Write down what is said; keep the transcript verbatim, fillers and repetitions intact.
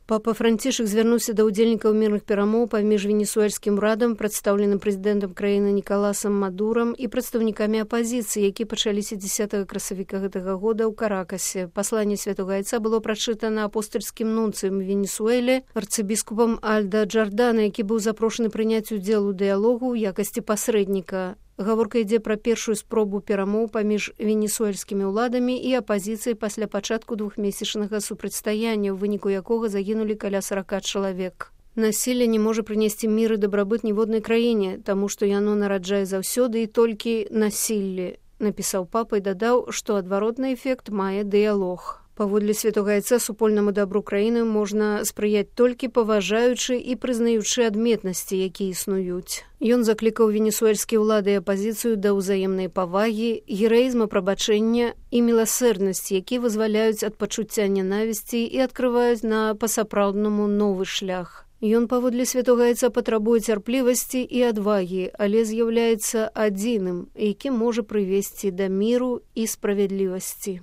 Папа Францішак звярнуўся да ўдзельнікаў мірных перамоў паміж венесуэльскім урадам, прадстаўленым прэзідэнтам краіны Нікаласам Мадурам і прадстаўнікамі апазіцыі, які пачаліся дзесятага красавіка гэтага года ў Каракасе. Пасланне Святога Айца было прачытана апостальскім нунцыем Венесуэле, арцыбіскупам Альда Джардана, які быў запрошаны прыняць удзел у дыялогу ў якасці пасрэдніка. Гаворка ідзе пра першую спробу перамоў паміж венесуэльскімі ўладамі і апазіцыяй пасля пачатку двухмесячнага супрацьстаяння, у выніку якога загінулі каля сарака чалавек. Насілле не можа прынесці мір і дабрабыт ніводнай краіне, таму што яно нараджае заўсёды і толькі насілле, напісаў папа і дадаў, што адваротны эфект мае дыялог. Паводле Святога Айца супольнаму дабру краіны можна спрыяць толькі паважаючы і прызнаючы адметнасці, якія існуюць. Ён заклікаў венесуэльскія ўлады і апазіцыю да ўзаемнай павагі, гераізма прабачэння і міласэрнасці, якія вызваляюць ад пачуцця нянавісці і адкрываюць на па-сапраўднаму новы шлях. Ён паводле Святога Айца патрабуе цярплівасці і адвагі, але з'яўляецца адзіным, які можа прывесці да міру і справядлівасці.